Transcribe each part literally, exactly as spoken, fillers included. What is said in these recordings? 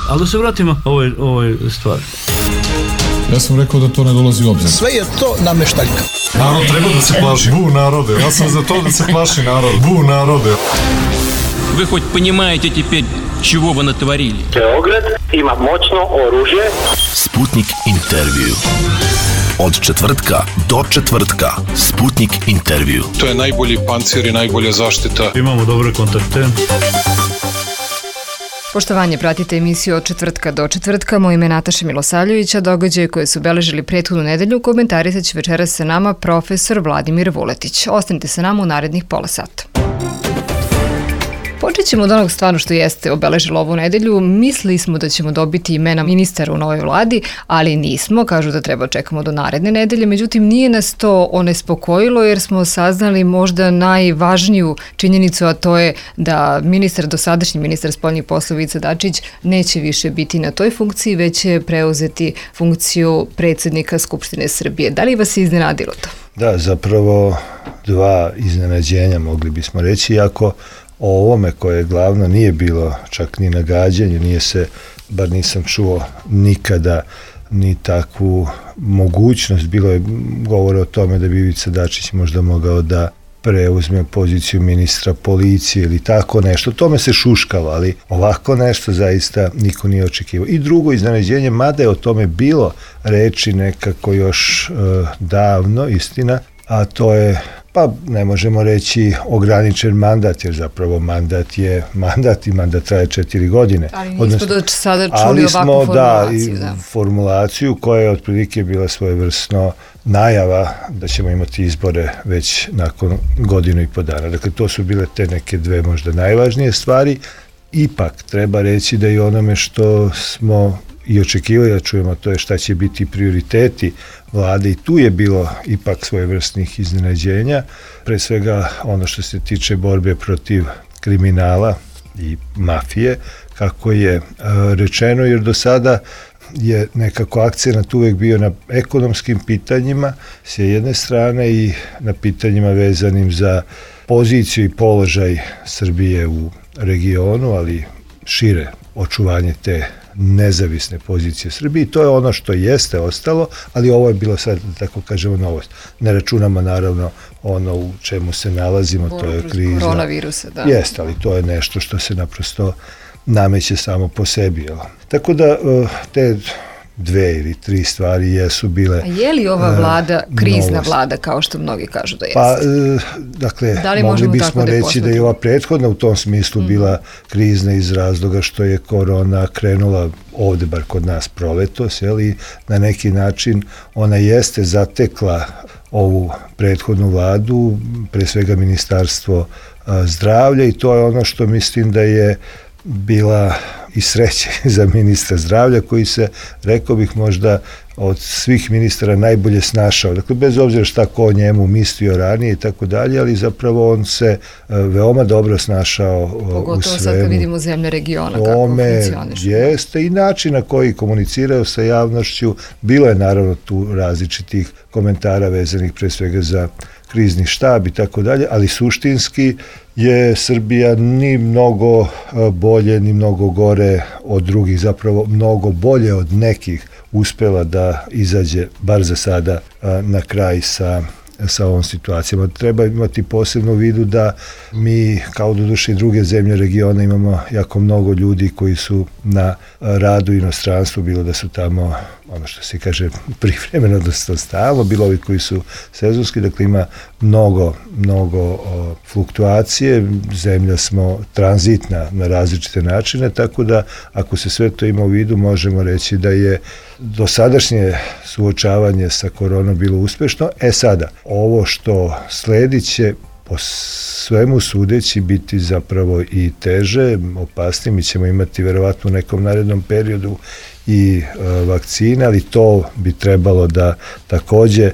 Ali da se vratimo ovoj, ovoj stvari. Ja sam rekao da to ne dolazi u obzir. Sve je to nameštaljka. Narod treba da se plaši. Bu narode. Ja sam za to da se plaši narod. Bu narode. Вы хоть понимаете теперь, чего вы натворили? Beograd ima moćno oružje. Sputnik intervju. Od četvrtka do četvrtka. Sputnik intervju. To je najbolji pancir i najbolja zaštita. Imamo dobre kontakte. Poštovanje, pratite emisiju od četvrtka do četvrtka. Moje ime je Nataša Milosavljevića. Događaje koje su obeležili prethodnu nedelju komentarisat će večeras sa nama profesor Vladimir Vuletić. Ostanite sa nama u narednih pola sata. Počet ćemo od onog stvarno što jeste obeležilo ovu nedelju. Mislili smo da ćemo dobiti imena ministara u novoj vladi, ali nismo. Kažu da treba čekamo do naredne nedelje. Međutim, nije nas to onespokojilo jer smo saznali možda najvažniju činjenicu, a to je da ministar, dosadašnji ministar spoljnih poslova Ivica Dačić neće više biti na toj funkciji, već će preuzeti funkciju predsjednika Skupštine Srbije. Da li vas je iznenadilo to? Da, zapravo dva iznenađenja mogli bismo reći, iako o ovome koje glavno nije bilo čak ni nagađanje, nije se, bar nisam čuo nikada ni takvu mogućnost, bilo je govore o tome da bi Ivica Dačić možda mogao da preuzme poziciju ministra policije ili tako nešto, tome se šuškalo, ali ovako nešto zaista niko nije očekivao. I drugo iznenađenje, mada je o tome bilo reči nekako još e, davno, istina, a to je, pa ne možemo reći ograničen mandat, jer zapravo mandat je mandat i mandat traje četiri godine. Ali nismo Odnosno, do sada čuli ovakvu smo, formulaciju. Da, da, formulaciju koja je otprilike bila svojevrsno najava da ćemo imati izbore već nakon godinu i po dana. Dakle, to su bile te neke dve možda najvažnije stvari. Ipak, treba reći da i onome što smo i očekivali da čujemo, to je šta će biti prioriteti vlade, i tu je bilo ipak svojevrsnih iznenađenja, pre svega ono što se tiče borbe protiv kriminala i mafije, kako je rečeno, jer do sada je nekako akcenat uvek bio na ekonomskim pitanjima s jedne strane i na pitanjima vezanim za poziciju i položaj Srbije u regionu, ali šire očuvanje te nezavisne pozicije Srbije. To je ono što jeste ostalo, ali ovo je bilo sad, tako kažemo, novost. Ne računamo naravno ono u čemu se nalazimo, to je kriza. Koronavirusa, da. Jeste, ali to je nešto što se naprosto nameće samo po sebi. Tako da te dve ili tri stvari jesu bile. A je li ova vlada uh, krizna novost. vlada, kao što mnogi kažu da jeste? Pa, uh, dakle, da mogli bismo da reći da je ova prethodna u tom smislu mm. bila krizna iz razloga što je korona krenula ovde, bar kod nas, proletos, i na neki način ona jeste zatekla ovu prethodnu vladu, pre svega ministarstvo uh, zdravlja, i to je ono što mislim da je bila i sreće za ministra zdravlja, koji se, rekao bih, možda od svih ministara najbolje snašao. Dakle, bez obzira šta ko o njemu mislio ranije i tako dalje, ali zapravo on se veoma dobro snašao u svemu. Pogotovo sad kad vidimo zemlje regiona kako funkcionišu. Jeste i način na koji komuniciraju sa javnošću. Bilo je naravno tu različitih komentara vezanih pre svega za krizni štab i tako dalje, ali suštinski je Srbija ni mnogo bolje, ni mnogo gore od drugih, zapravo mnogo bolje od nekih uspela da izađe, bar za sada, na kraj sa sa ovom situacijama. Treba imati posebno u vidu da mi, kao doduše i druge zemlje regiona, imamo jako mnogo ljudi koji su na radu u inostranstvu, bilo da su tamo, ono što se kaže, privremeno, da stalno, bilo ovi koji su sezonski, dakle ima mnogo, mnogo o, fluktuacije, zemlja smo tranzitna na različite načine, tako da ako se sve to ima u vidu, možemo reći da je dosadašnje suočavanje sa koronom bilo uspešno. E sada, ovo što sledi će po svemu sudeći biti zapravo i teže, opasnije. Mi ćemo imati verovatno u nekom narednom periodu i e, vakcina, ali to bi trebalo da takođe e,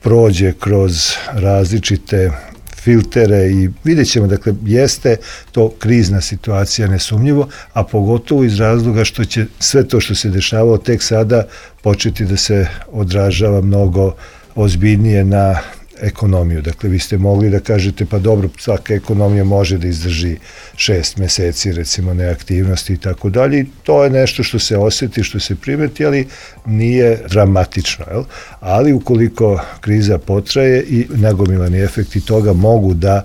prođe kroz različite filtere i vidjet ćemo, dakle, jeste to krizna situacija nesumnjivo, a pogotovo iz razloga što će sve to što se dešavalo tek sada početi da se odražava mnogo ozbiljnije na ekonomiju. Dakle, vi ste mogli da kažete, pa dobro, svaka ekonomija može da izdrži šest meseci, recimo, neaktivnosti i tako dalje. To je nešto što se osjeti, što se primeti, ali nije dramatično. Jel? Ali ukoliko kriza potraje i nagomilani efekti toga mogu da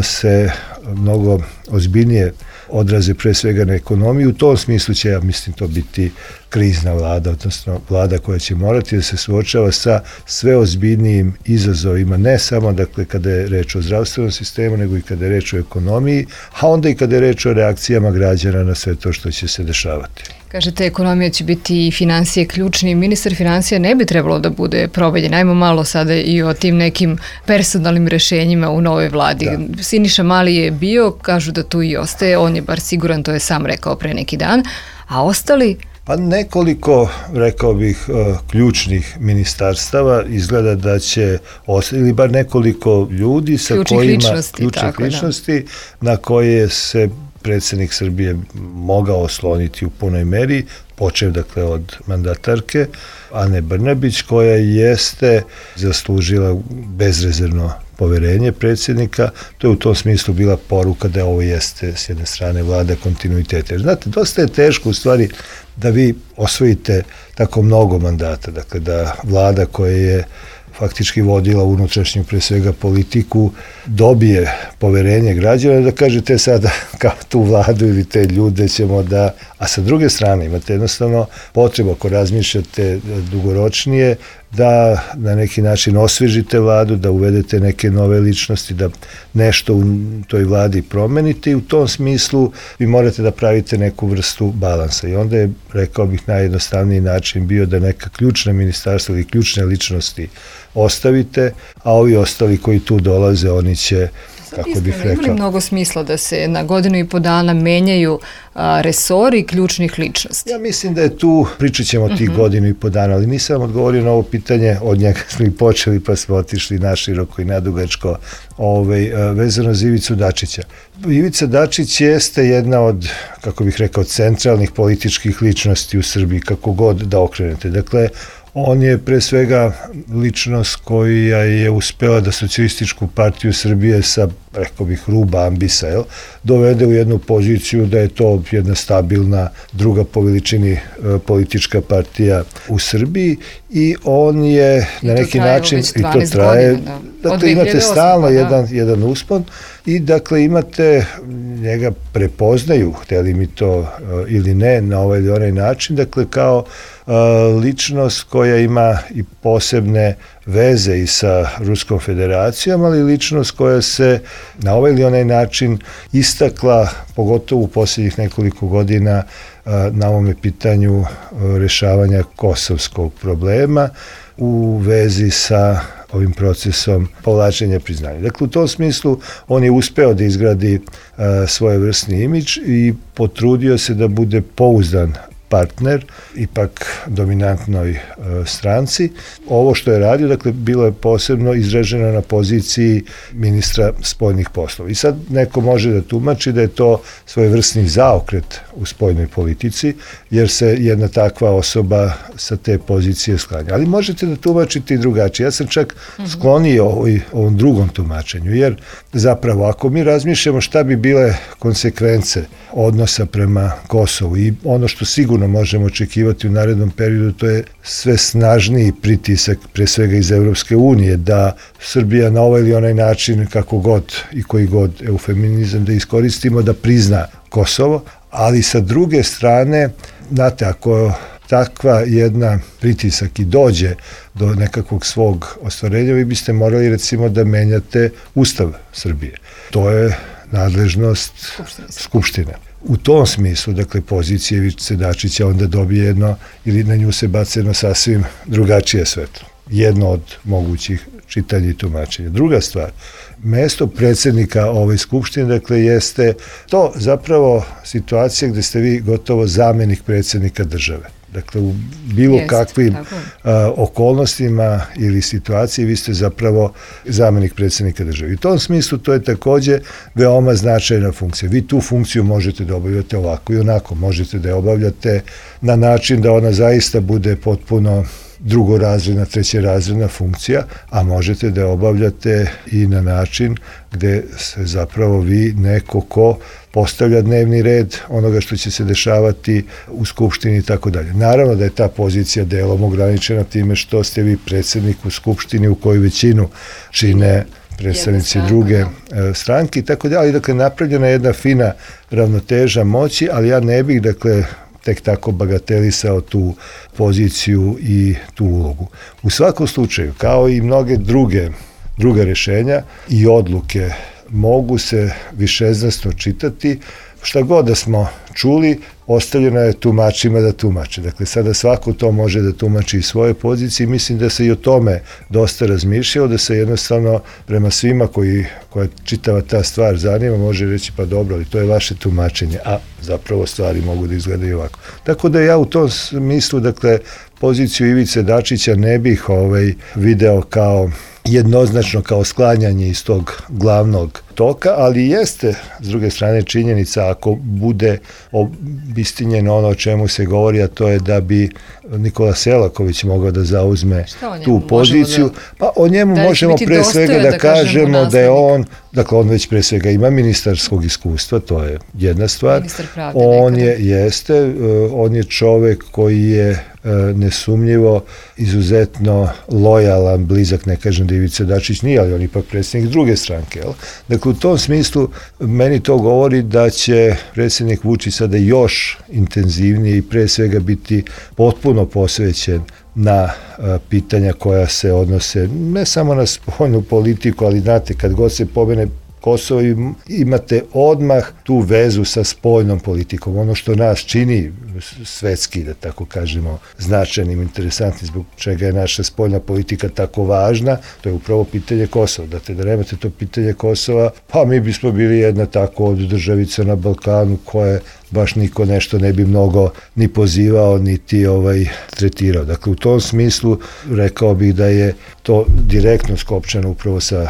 se mnogo ozbiljnije odraze pre svega na ekonomiju, u tom smislu će, ja mislim, to biti krizna vlada, odnosno vlada koja će morati da se suočava sa sve ozbiljnijim izazovima, ne samo, dakle, kada je reč o zdravstvenom sistemu, nego i kada je reč o ekonomiji, a onda i kada je reč o reakcijama građana na sve to što će se dešavati. Kažete, ekonomija će biti i financije ključni. Ministar financija ne bi trebalo da bude provaljen. Ajmo malo sada i o tim nekim personalnim rešenjima u novoj vladi. Da. Siniša Mali je bio, kažu da tu i ostaje, on je bar siguran, to je sam rekao pre neki dan, a ostali... Pa nekoliko, rekao bih, ključnih ministarstava izgleda da će ostati, ili bar nekoliko ljudi sa ključnih kojima... Ličnosti, ključnih tako, ličnosti, da. Na koje se predsjednik Srbije mogao osloniti u punoj meri, počev, dakle, od mandatarke Ane Brnabić, koja jeste zaslužila bezrezervno poverenje predsjednika. To je u tom smislu bila poruka da ovo jeste s jedne strane vlada kontinuiteta. Jer znate, dosta je teško u stvari da vi osvojite tako mnogo mandata, dakle da vlada koja je faktički vodila unutrašnju pre svega politiku, dobije poverenje građana, da kažete sada kao tu vladu ili te ljude ćemo da... A sa druge strane imate jednostavno potrebu, ako razmišljate dugoročnije, da na neki način osvežite vladu, da uvedete neke nove ličnosti, da nešto u toj vladi promenite i u tom smislu vi morate da pravite neku vrstu balansa. I onda je, rekao bih, najjednostavniji način bio da neka ključna ministarstva ili ključne ličnosti ostavite, a ovi ostali koji tu dolaze, oni će, kako bih rekao... Ima li mnogo smisla da se na godinu i po dana menjaju a, resori ključnih ličnosti? Ja mislim da je tu, pričat ćemo tih uh-huh. godinu i po dana, ali nisam odgovorio na ovo pitanje, od njega smo i počeli pa smo otišli naširoko i nadugačko, ovaj, vezano za Ivicu Dačića. Ivica Dačić jeste jedna od, kako bih rekao, centralnih političkih ličnosti u Srbiji, kako god da okrenete. Dakle, on je pre svega ličnost koja je uspela da Socijalističku partiju Srbije sa, rekao bih, ruba ambisa, jel, dovede u jednu poziciju da je to jedna stabilna, druga po veličini e, politička partija u Srbiji i on je I na neki način, i to traje, godina, da. Dakle imate stalno da. jedan, jedan uspon i dakle imate, njega prepoznaju, hteli mi to e, ili ne, na ovaj ili onaj način, dakle kao e, ličnost koja ima i posebne veze i sa Ruskom federacijom, ali ličnost koja se na ovaj ili onaj način istakla, pogotovo u posljednjih nekoliko godina, na ovome pitanju rešavanja kosovskog problema u vezi sa ovim procesom povlačenja priznanja. Dakle, u tom smislu on je uspeo da izgradi svojevrsni imidž i potrudio se da bude pouzdan partner, ipak dominantnoj e, stranci. Ovo što je radio, dakle, bilo je posebno izraženo na poziciji ministra spoljnih poslova. I sad neko može da tumači da je to svojevrsni zaokret u spoljnoj politici, jer se jedna takva osoba sa te pozicije sklanja. Ali možete da tumačite i drugačije. Ja sam čak sklonio ovoj, ovom drugom tumačenju, jer zapravo ako mi razmišljamo šta bi bile konsekvence odnosa prema Kosovu i ono što sigurno možemo očekivati u narednom periodu, to je sve snažniji pritisak, pre svega iz Evropske unije, da Srbija na ovaj ili onaj način, kako god i koji god eufeminizam da iskoristimo, da prizna Kosovo, ali sa druge strane, znate, ako takva jedna pritisak i dođe do nekakvog svog ostvarenja, vi biste morali recimo da menjate Ustav Srbije. To je nadležnost Skupštine. U tom smislu, dakle, pozicija Ivice Dačića onda dobije jedno, ili na nju se baca jedno sasvim drugačije svetlo. Jedno od mogućih čitanja i tumačenja. Druga stvar, mesto predsjednika ove skupštine, dakle, jeste to zapravo situacija gde ste vi gotovo zamenik predsjednika države. Dakle, u bilo Jest, kakvim a, okolnostima ili situaciji vi ste zapravo zamenik predsjednika države. I u tom smislu to je takođe veoma značajna funkcija. Vi tu funkciju možete da obavljate ovako i onako. Možete da je obavljate na način da ona zaista bude potpuno drugorazredna, trećerazredna funkcija, a možete da je obavljate i na način gde se zapravo vi neko ko postavlja dnevni red onoga što će se dešavati u Skupštini i tako dalje. Naravno da je ta pozicija delom ograničena time što ste vi predsjednik u Skupštini u koju većinu čine predstavnici druge stranke i tako dalje, ali dakle napravljena je jedna fina ravnoteža moći, ali ja ne bih dakle tek tako bagatelisao tu poziciju i tu ulogu. U svakom slučaju, kao i mnoge druge druga rješenja i odluke mogu se višeznasno čitati, šta god da smo čuli, ostavljeno je tumačima da tumače. Dakle, sada svako to može da tumači iz svoje pozicije i mislim da se i o tome dosta razmišljao, da se jednostavno prema svima koji, koja čitava ta stvar zanima, može reći pa dobro, ali to je vaše tumačenje, a zapravo stvari mogu da izgledaju ovako. Tako da ja u tom smislu, dakle, poziciju Ivice Dačića ne bih ovaj, video kao jednoznačno kao sklanjanje iz tog glavnog toka, ali jeste, s druge strane, činjenica ako bude obistinjeno ono o čemu se govori, a to je da bi Nikola Selaković mogao da zauzme tu poziciju, da, pa o njemu da možemo pre svega da, da kažemo da je on, dakle on već pre svega ima ministarskog iskustva, to je jedna stvar, on je, jeste, on je čovek koji je nesumnjivo izuzetno lojalan, blizak, ne kažem da Ivica Dačić nije, ali on ipak predsjednik druge stranke. Jel? Dakle, u tom smislu meni to govori da će predsjednik Vučić sada još intenzivnije i pre svega biti potpuno posvećen na a, pitanja koja se odnose ne samo na spoljnu politiku, ali znate, kad god se pomene Kosovo, imate odmah tu vezu sa spoljnom politikom. Ono što nas čini svetski, da tako kažemo, značajnim, interesantnim, zbog čega je naša spoljna politika tako važna, to je upravo pitanje Kosova. Dakle, da nemate to pitanje Kosova, pa mi bismo bili jedna tako od državica na Balkanu koje baš niko nešto ne bi mnogo ni pozivao, niti ovaj, tretirao. Dakle, u tom smislu rekao bih da je to direktno skopčano upravo sa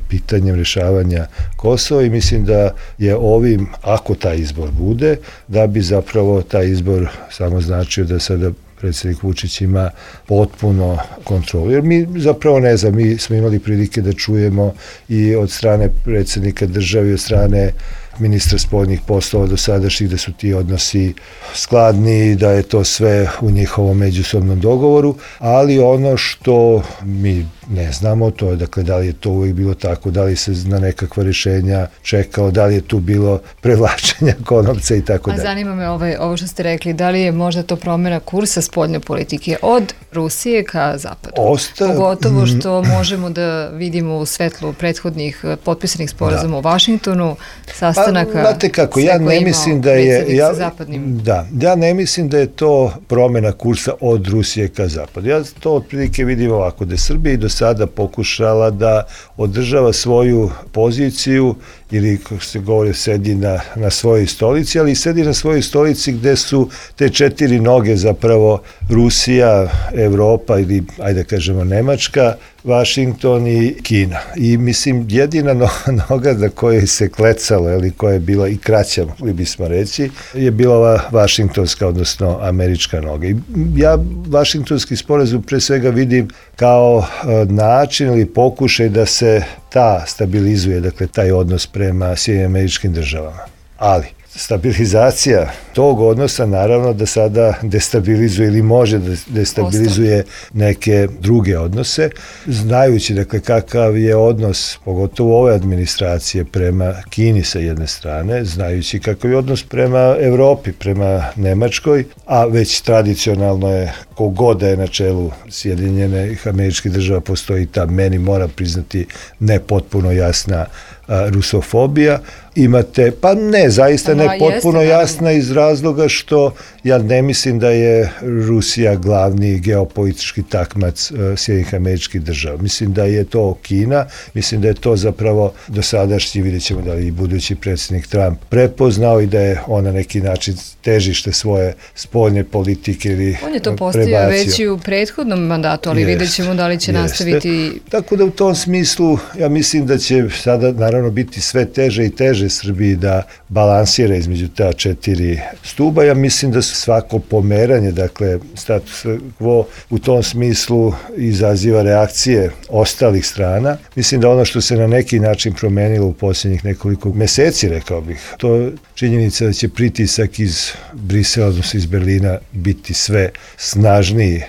pitanjem rješavanja Kosova i mislim da je ovim, ako taj izbor bude, da bi zapravo taj izbor samo značio da sada predsjednik Vučić ima potpuno kontrolu. Jer mi zapravo ne znam, mi smo imali prilike da čujemo i od strane predsjednika države i od strane ministra spoljnih poslova do sadašnjih da su ti odnosi skladni, da je to sve u njihovom međusobnom dogovoru, ali ono što mi ne znamo, to je dakle da li je to uvijek bilo tako, da li se na nekakva rješenja čekao, da li je tu bilo prevlačenja konopca i tako dalje. A zanima me ovaj, ovo što ste rekli, da li je možda to promjena kursa spoljne politike od Rusije ka zapadu? Osta... Pogotovo što možemo da vidimo u svetlu prethodnih potpisanih sporazuma da. U Vašingtonu, sastanaka pa, znate kako, ja ne mislim da je ja, zapadnim. Da, ja ne mislim da je to promjena kursa od Rusije ka zapadu. Ja to otprilike vidim ovako, da je Srbija i do sada pokušala da održava svoju poziciju ili, kako se govori, sedi na, na svojoj stolici, ali sedi na svojoj stolici gde su te četiri noge zapravo Rusija, Evropa ili, ajde kažemo, Nemačka, Vašington i Kina. I mislim, jedina no, noga na kojoj se klecalo, ili koja je bila i kraća, mogli bismo reći, je bila ova vašingtonska, odnosno američka noga. I ja vašingtonski sporazum pre svega vidim kao način ili pokušaj da se ta stabilizuje, dakle, taj odnos prema Sjedinjenim Američkim Državama. Ali stabilizacija tog odnosa naravno da sada destabilizuje ili može da destabilizuje neke druge odnose, znajući dakle kakav je odnos, pogotovo ove administracije prema Kini sa jedne strane, znajući kakav je odnos prema Evropi, prema Nemačkoj, a već tradicionalno je kogod da je na čelu Sjedinjenih Američkih Država postoji ta, meni mora priznati, ne potpuno jasna a, rusofobija. Imate, pa ne, zaista ne potpuno jasna iz razloga što ja ne mislim da je Rusija glavni geopolitički takmac uh, Sjedinjenih Američkih Država. Mislim da je to Kina, mislim da je to zapravo dosadašnji, vidjet ćemo da li i budući predsjednik Trump prepoznao i da je on na neki način težište svoje spoljne politike ili prebacio. On je to postavio već i u prethodnom mandatu, ali jest, vidjet ćemo da li će jeste. nastaviti. Tako da u tom smislu ja mislim da će sada naravno biti sve teže i teže pomaže Srbiji da balansira između ta četiri stuba. Ja mislim da svako pomeranje, dakle status quo u tom smislu izaziva reakcije ostalih strana. Mislim da ono što se na neki način promenilo u posljednjih nekoliko meseci, rekao bih, to činjenica da će pritisak iz Brisela, odnosno iz Berlina, biti sve snažniji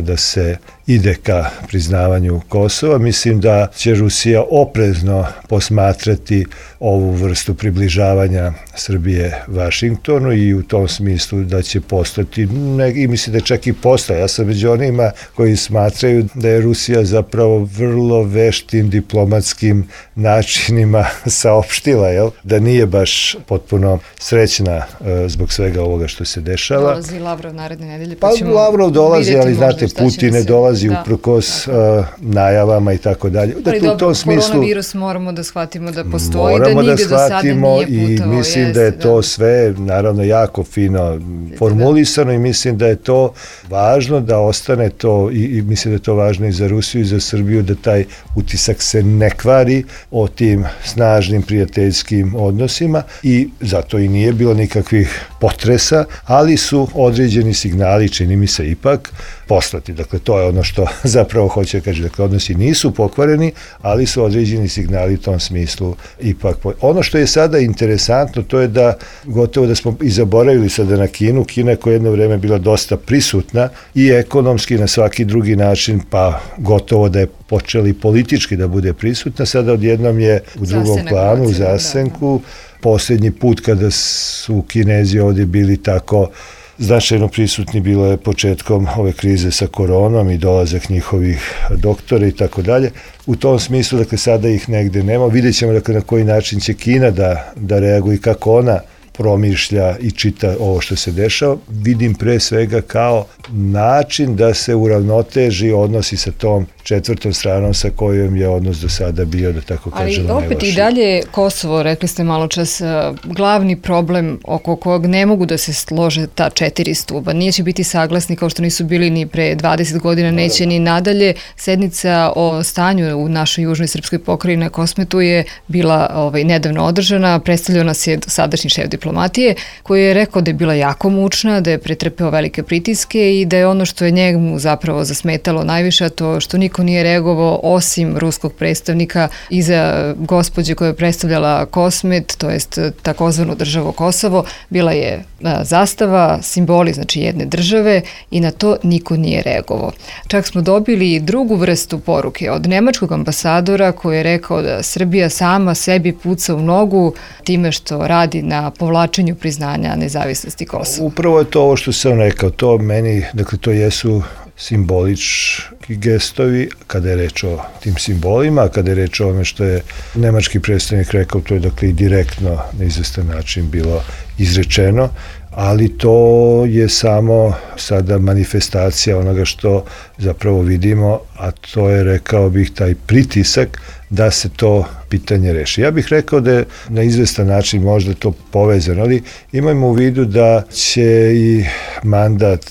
da se ide ka priznavanju Kosova. Mislim da će Rusija oprezno posmatrati ovu vrstu približavanja Srbije Vašingtonu i u tom smislu da će postati, ne, i mislim da čak i postaje. Ja sam među onima koji smatraju da je Rusija zapravo vrlo veštim diplomatskim načinima saopštila, jel? Da nije baš potpuno srećna e, zbog svega ovoga što se dešava. Dolazi Lavrov naredne nedelje, pa, pa ćemo Lavrov dolazi, ali znate, Putin ne se... dolazi da, uprkos uh, najavama i tako dalje. Ali dobro, u tom smislu, koronavirus moramo da shvatimo da postoji, da nigde do sada nije putao. I mislim jest, da je to da. sve, naravno, jako fino formulisano, da. I mislim da je to važno da ostane to, i, i mislim da je to važno i za Rusiju i za Srbiju, da taj utisak se ne kvari o tim snažnim prijateljskim odnosima, i zato i nije bilo nikakvih potresa, ali su određeni signali, čini mi se, ipak poslati. Dakle, to je ono što zapravo hoće kaži. Dakle, odnosi nisu pokvareni, ali su određeni signali u tom smislu ipak. Ono što je sada interesantno, to je da gotovo da smo i zaboravili sada na Kinu. Kina koja je jedno vreme bila dosta prisutna i ekonomski na svaki drugi način, pa gotovo da je počeli politički da bude prisutna. Sada odjednom je u drugom planu, u zasenku. Posljednji put kada su Kinezi ovdje bili tako značajno prisutni bilo je početkom ove krize sa koronom i dolazak njihovih doktora i tako dalje. U tom smislu, dakle, sada ih negde nema. Vidjet ćemo, dakle, na koji način će Kina da, da reaguje i kako ona promišlja i čita ovo što se dešava. Vidim pre svega kao način da se uravnoteži odnosi sa tom četvrtom stranom sa kojom je odnos do sada bio, da tako kažemo, ali opet najlošiji. I dalje Kosovo, rekli ste malo čas, glavni problem oko kojeg ne mogu da se slože ta četiri stuba. Nije će biti saglasni kao što nisu bili ni pre dvadeset godina, neće ni nadalje. Sednica o stanju u našoj južnoj srpskoj pokrajini na Kosmetu je bila ovaj, nedavno održana. Predstavljao nas je sadašnji šef diplomatije koji je rekao da je bila jako mučna, da je pretrpeo velike pritiske i da je ono što je njemu zapravo zasmetalo najviše, to što niko nije reagovao osim ruskog predstavnika iza gospođe koja je predstavljala Kosmet, to jest takozvanu državu Kosovo, bila je zastava, simboli znači jedne države i na to niko nije reagovao. Čak smo dobili drugu vrstu poruke od nemačkog ambasadora koji je rekao da Srbija sama sebi puca u nogu time što radi na povlačenju priznanja nezavisnosti Kosova. Upravo je to ovo što sam rekao, to meni, dakle to jesu simbolički gestovi kada je reč o tim simbolima, a kada je reč o ome što je nemački predstavnik rekao, to je dakle i direktno na izvestan način bilo izrečeno, ali to je samo sada manifestacija onoga što zapravo vidimo, a to je, rekao bih, taj pritisak da se to pitanje reši. Ja bih rekao da je na izvestan način možda to povezano, ali imajmo u vidu da će i mandat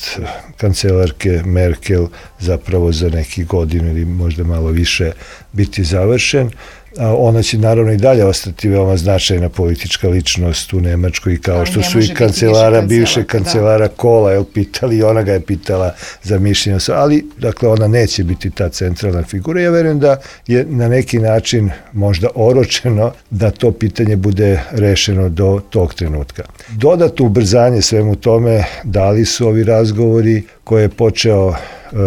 kancelarke Merkel zapravo za neki godinu ili možda malo više biti završen. Ona će naravno i dalje ostati veoma značajna politička ličnost u Nemačkoj, kao što su i kancelara, bivše kancelara Kola, jel, pitali, i ona ga je pitala za mišljenje, ali dakle ona neće biti ta centralna figura. Ja verujem da je na neki način možda oročeno da to pitanje bude rešeno do tog trenutka. Dodatno ubrzanje svemu tome dali su ovi razgovori koje je počeo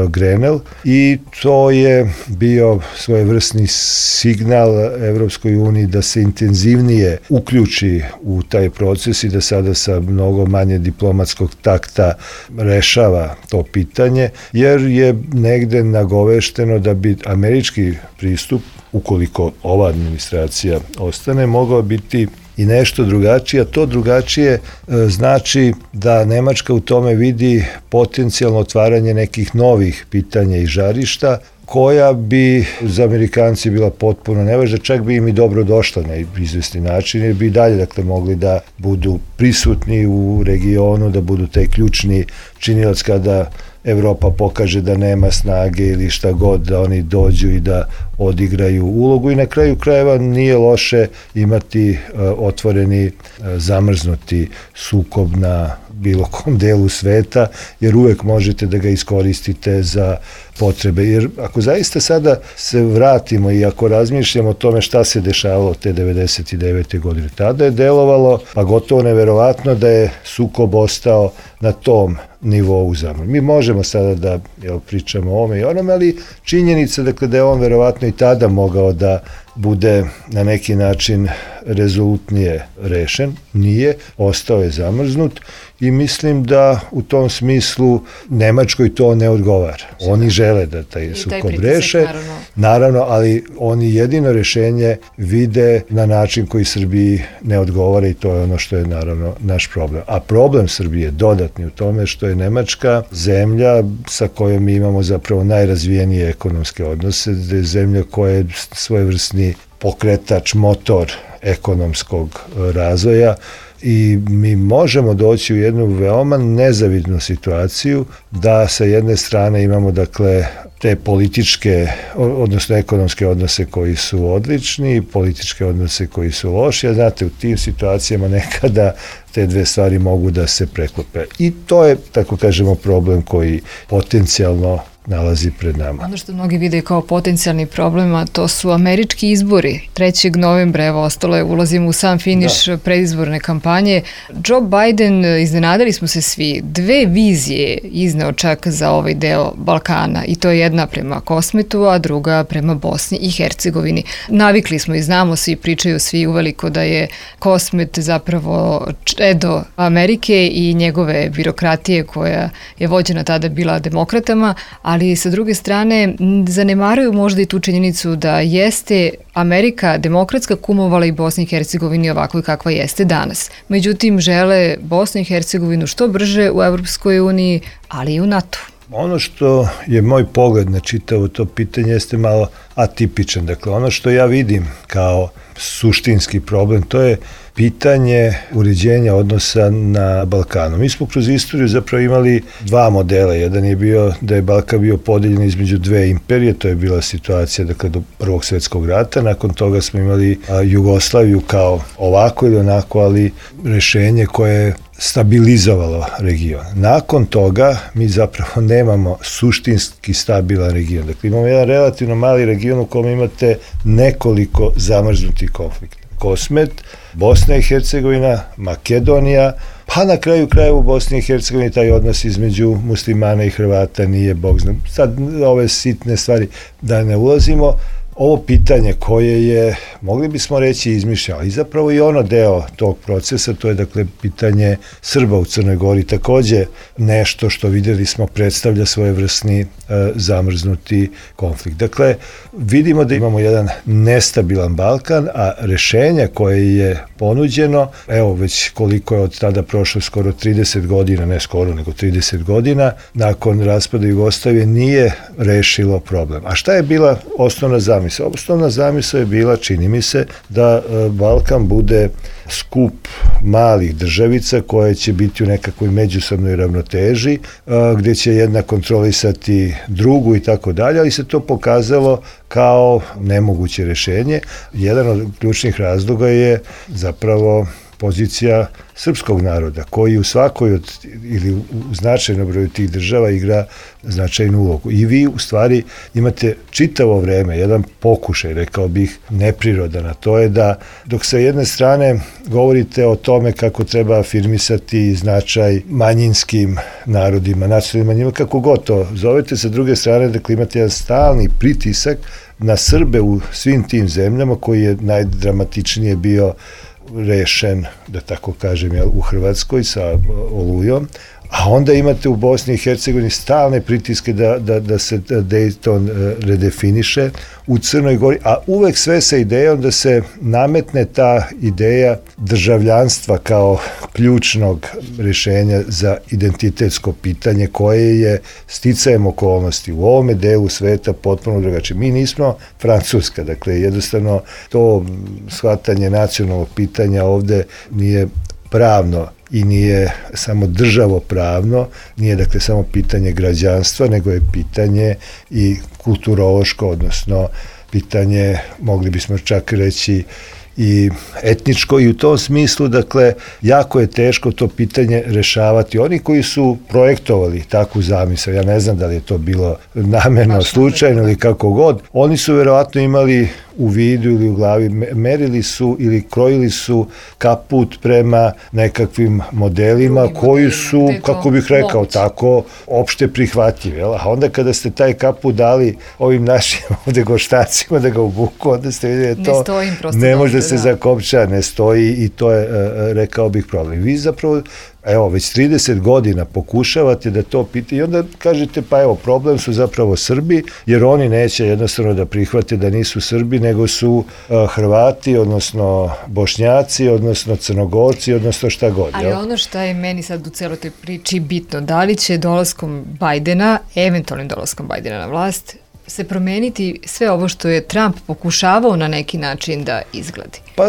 Grenell i to je bio svojevrsni signal Evropskoj uniji da se intenzivnije uključi u taj proces i da sada sa mnogo manje diplomatskog takta rešava to pitanje, jer je negde nagovešteno da bi američki pristup, ukoliko ova administracija ostane, mogao biti i nešto drugačije, a to drugačije e, znači da Nemačka u tome vidi potencijalno otvaranje nekih novih pitanja i žarišta, koja bi za Amerikanci bila potpuno nevažna, čak bi im i dobro došla na izvesni način, jer bi i dalje dakle mogli da budu prisutni u regionu, da budu taj ključni činilac kada Evropa pokaže da nema snage ili šta god, da oni dođu i da odigraju ulogu i na kraju krajeva nije loše imati uh, otvoreni, uh, zamrznuti sukob na bilo kom delu sveta, jer uvek možete da ga iskoristite za potrebe. Jer ako zaista sada se vratimo i ako razmišljamo o tome šta se dešavalo te devedeset devete godine, tada je delovalo pa gotovo neverovatno da je sukob ostao na tom nivou zamor. Mi možemo sada da jel, pričamo o ome i onome, ali činjenica dakle, da je on verovatno i tada mogao da bude na neki način rezolutnije rešen, nije, ostao je zamrznut i mislim da u tom smislu Nemačkoj to ne odgovara. Oni žele da taj sukob reše, naravno. naravno, ali oni jedino rešenje vide na način koji Srbiji ne odgovara i to je ono što je naravno naš problem. A problem Srbije je dodatni u tome što je Nemačka zemlja sa kojom mi imamo zapravo najrazvijenije ekonomske odnose, da je zemlja koja je svojevrsni pokretač, motor ekonomskog razvoja i mi možemo doći u jednu veoma nezavidnu situaciju da sa jedne strane imamo dakle te političke, odnosno ekonomske odnose koji su odlični, političke odnose koji su loši, a znate, u tim situacijama nekada te dve stvari mogu da se preklope. I to je, tako kažemo, problem koji potencijalno nalazi pred nama. Ono što mnogi vide kao potencijalni problem, a to su američki izbori. trećeg novembra, evo, ostalo je, ulazimo u sam finiš da. predizborne kampanje. Joe Biden, iznenadili smo se svi, dve vizije izneo čak za ovaj deo Balkana i to je jedna prema Kosmetu, a druga prema Bosni i Hercegovini. Navikli smo i znamo svi, pričaju svi uveliko da je Kosmet zapravo čedo Amerike i njegove birokratije koja je vođena tada bila demokratama, ali sa druge strane zanemaruju možda i tu činjenicu da jeste Amerika demokratska kumovala i Bosni i Hercegovini ovako kakva jeste danas. Međutim, žele Bosnu i Hercegovinu što brže u Evropskoj uniji, ali i u NATO. Ono što je moj pogled na čitavo to pitanje jeste malo atipičan. Dakle, ono što ja vidim kao suštinski problem, to je pitanje uređenja odnosa na Balkanu. Mi smo kroz istoriju zapravo imali dva modela. Jedan je bio da je Balkan bio podeljen između dve imperije, to je bila situacija dakle, do Prvog svjetskog rata. Nakon toga smo imali a, Jugoslaviju kao ovako ili onako, ali rešenje koje je stabilizovalo region. Nakon toga mi zapravo nemamo suštinski stabilan region. Dakle, imamo jedan relativno mali region u kojem imate nekoliko zamrznutih konflikta. Kosmet, Bosna i Hercegovina, Makedonija, pa na kraju krajeva u Bosni i Hercegovini taj odnos između muslimana i Hrvata nije bog zna. Sad ove sitne stvari da ne ulazimo, ovo pitanje koje je, mogli bismo reći, izmišljeno, i zapravo i ono deo tog procesa, to je dakle pitanje Srba u Crnoj Gori, takođe nešto što videli smo predstavlja svojevrsni e, zamrznuti konflikt. Dakle, vidimo da imamo jedan nestabilan Balkan, a rešenje koje je ponuđeno, evo već koliko je od tada prošlo skoro trideset godina, ne skoro nego trideset godina, nakon raspada Jugoslavije nije rešilo problem. A šta je bila osnovna zamisla? Osnovna zamisla je bila, čini mi se, da Balkan bude skup malih državica koje će biti u nekakvoj međusobnoj ravnoteži, gdje će jedna kontrolisati drugu i tako dalje, ali se to pokazalo kao nemoguće rešenje. Jedan od ključnih razloga je zapravo pozicija srpskog naroda, koji u svakoj od, ili u značajnom broju tih država igra značajnu ulogu. I vi u stvari imate čitavo vreme jedan pokušaj, rekao bih, neprirodan, a to je da dok sa jedne strane govorite o tome kako treba afirmisati značaj manjinskim narodima, nacionalnim manjinama, kako god to zovete, sa druge strane, dakle imate jedan stalni pritisak na Srbe u svim tim zemljama koji je najdramatičnije bio rešen, da tako kažem, u Hrvatskoj sa Olujom, a onda imate u Bosni i Hercegovini stalne pritiske da, da, da se Dayton redefiniše, u Crnoj Gori, a uvek sve sa idejom da se nametne ta ideja državljanstva kao ključnog rešenja za identitetsko pitanje koje je sticajem okolnosti u ovome delu sveta potpuno drugačije. Mi nismo Francuska, dakle jednostavno to shvatanje nacionalnog pitanja ovde nije pravno i nije samo državopravno, nije dakle samo pitanje građanstva, nego je pitanje i kulturološko, odnosno pitanje, mogli bismo čak reći, i etničko, i u tom smislu, dakle, jako je teško to pitanje rešavati. Oni koji su projektovali takvu zamisao, ja ne znam da li je to bilo namerno, slučajno ili kako god, oni su verovatno imali u vidu ili u glavi, merili su ili krojili su kaput prema nekakvim modelima Drugim koji modelima, su, gde je to kako bih rekao, moguće. tako opšte prihvatljivi. Jel? A onda kada ste taj kaput dali ovim našim ovde goštacima da ga obuku, onda ste vidjeli da Ne to stoji im prosto ne dobro, može da se da. zakopča, ne stoji i to je, e, rekao bih, problem. Vi zapravo, evo, već trideset godina pokušavate da to pita i onda kažete, pa evo, problem su zapravo Srbi, jer oni neće jednostavno da prihvate da nisu Srbi, nego su e, Hrvati, odnosno Bošnjaci, odnosno Crnogorci, odnosno šta god. Ali jel? ono što je meni sad u celoj toj priči bitno, da li će dolaskom Bajdena, eventualnim dolaskom Bajdena na vlast, se promeniti sve ovo što je Trump pokušavao na neki način da izgledi? Pa,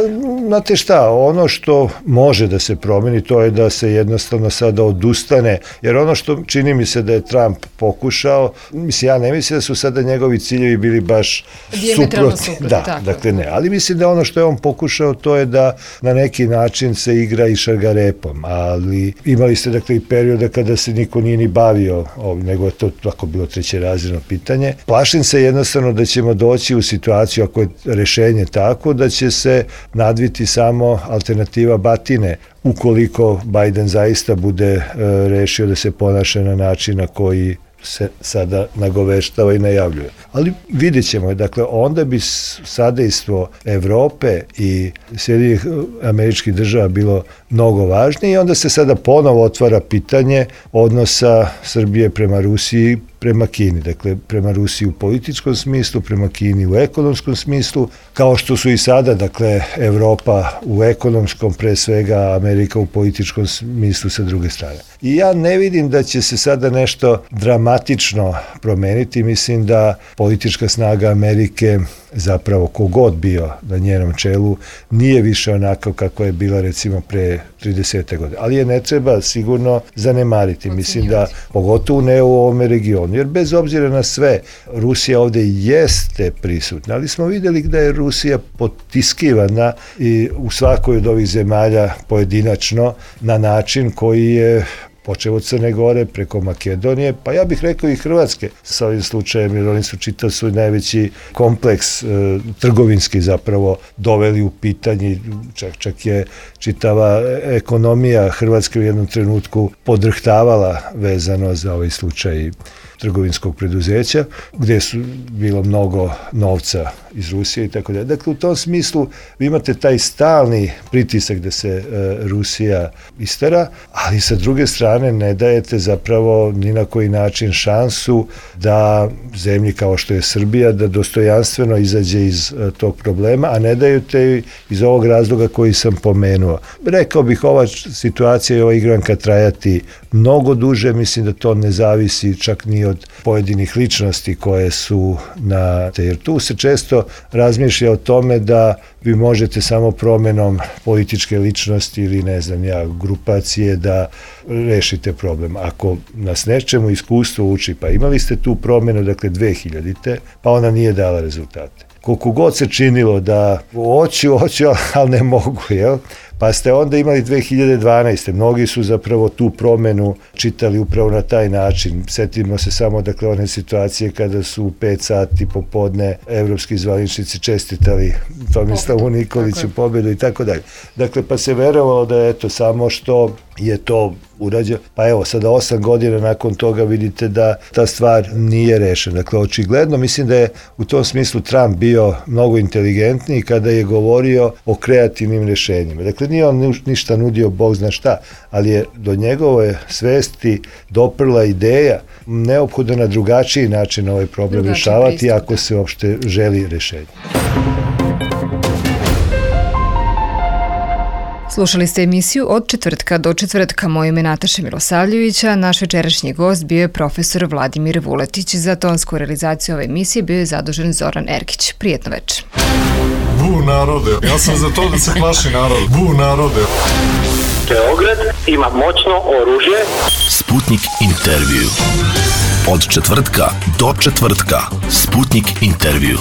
znate šta, ono što može da se promeni, to je da se jednostavno sada odustane, jer ono što čini mi se da je Trump pokušao, mislim, ja ne mislim da su sada njegovi ciljevi bili baš Dijametralno suprotni. suprotni, Da, tako. dakle ne, ali mislim da ono što je on pokušao, to je da na neki način se igra i šargarepom, ali imali ste dakle i perioda kada se niko nije ni bavio ovim, nego je to tako bilo trećerazredno pitanje. Plašim se jednostavno da ćemo doći u situaciju, ako je rešenje tako, da će se nadviti samo alternativa batine, ukoliko Biden zaista bude e, rešio da se ponaša na način na koji se sada nagoveštava i najavljuje. Ali vidjet ćemo, dakle, onda bi sadejstvo Evrope i Sjedinjenih Američkih Država bilo mnogo važnije i onda se sada ponovo otvara pitanje odnosa Srbije prema Rusiji, prema Kini, dakle prema Rusiji u političkom smislu, prema Kini u ekonomskom smislu, kao što su i sada, dakle, Evropa u ekonomskom, pre svega Amerika u političkom smislu sa druge strane. I ja ne vidim da će se sada nešto dramatično promeniti, mislim da politička snaga Amerike, zapravo kogod bio na njenom čelu, nije više onako kako je bila recimo pre trideset godine. Ali je ne treba sigurno zanemariti. Mislim da, pogotovo ne u ovome regionu, jer bez obzira na sve, Rusija ovde jeste prisutna, ali smo videli da je Rusija potiskivana i u svakoj od ovih zemalja pojedinačno na način koji je počeo od Crne Gore preko Makedonije, pa ja bih rekao i Hrvatske sa ovim slučajem, jer oni su čitav svoj najveći kompleks e, trgovinski zapravo doveli u pitanje, čak, čak je čitava ekonomija Hrvatske u jednom trenutku podrhtavala vezano za ovaj slučaj trgovinskog preduzeća, gde su bilo mnogo novca iz Rusije i tako dalje. Dakle, u tom smislu vi imate taj stalni pritisak da se e, Rusija istera, ali sa druge strane ne dajete zapravo ni na koji način šansu da zemlji kao što je Srbija, da dostojanstveno izađe iz e, tog problema, a ne dajete iz ovog razloga koji sam pomenuo. Rekao bih, ova situacija i ova igranka trajati mnogo duže, mislim da to ne zavisi čak ni od pojedinih ličnosti koje su na te, jer tu se često razmišlja o tome da vi možete samo promenom političke ličnosti ili ne znam ja, grupacije da rešite problem. Ako nas nečemu iskustvo uči, pa imali ste tu promenu, dakle dve hiljadite, pa ona nije dala rezultate. Koliko god se činilo da hoću, hoću, ali ne mogu, jel? Pa ste onda imali dve hiljade dvanaeste. Mnogi su zapravo tu promenu čitali upravo na taj način. Setimo se samo, dakle, one situacije kada su u pet sati popodne evropski zvaničnici čestitali Tomislavu Nikoliću pobedu i tako dalje. Dakle, pa se verovalo da je eto samo što je to urađeno. Pa evo, sada osam godina nakon toga vidite da ta stvar nije rešena. Dakle, očigledno mislim da je u tom smislu Trump bio mnogo inteligentniji kada je govorio o kreativnim rešenjima. Dakle, nije on ništa nudio, Bog zna šta, ali je do njegove svesti doprla ideja neophodno na drugačiji način ovaj problem Drugačiji rešavati pristup, ako se uopšte želi rešenje. Slušali ste emisiju Od četvrtka do četvrtka. Moje ime je Nataša Milosavljevića. Naš večerašnji gost bio je profesor Vladimir Vuletić. Za tonsku realizaciju ove emisije bio je zadužen Zoran Erkić. Prijetno večer. Bu narode, ja sam za to da se plaši narod. Bu narode. Beograd ima moćno oružje. Sputnik intervju. Od četvrtka do četvrtka. Sputnik intervju.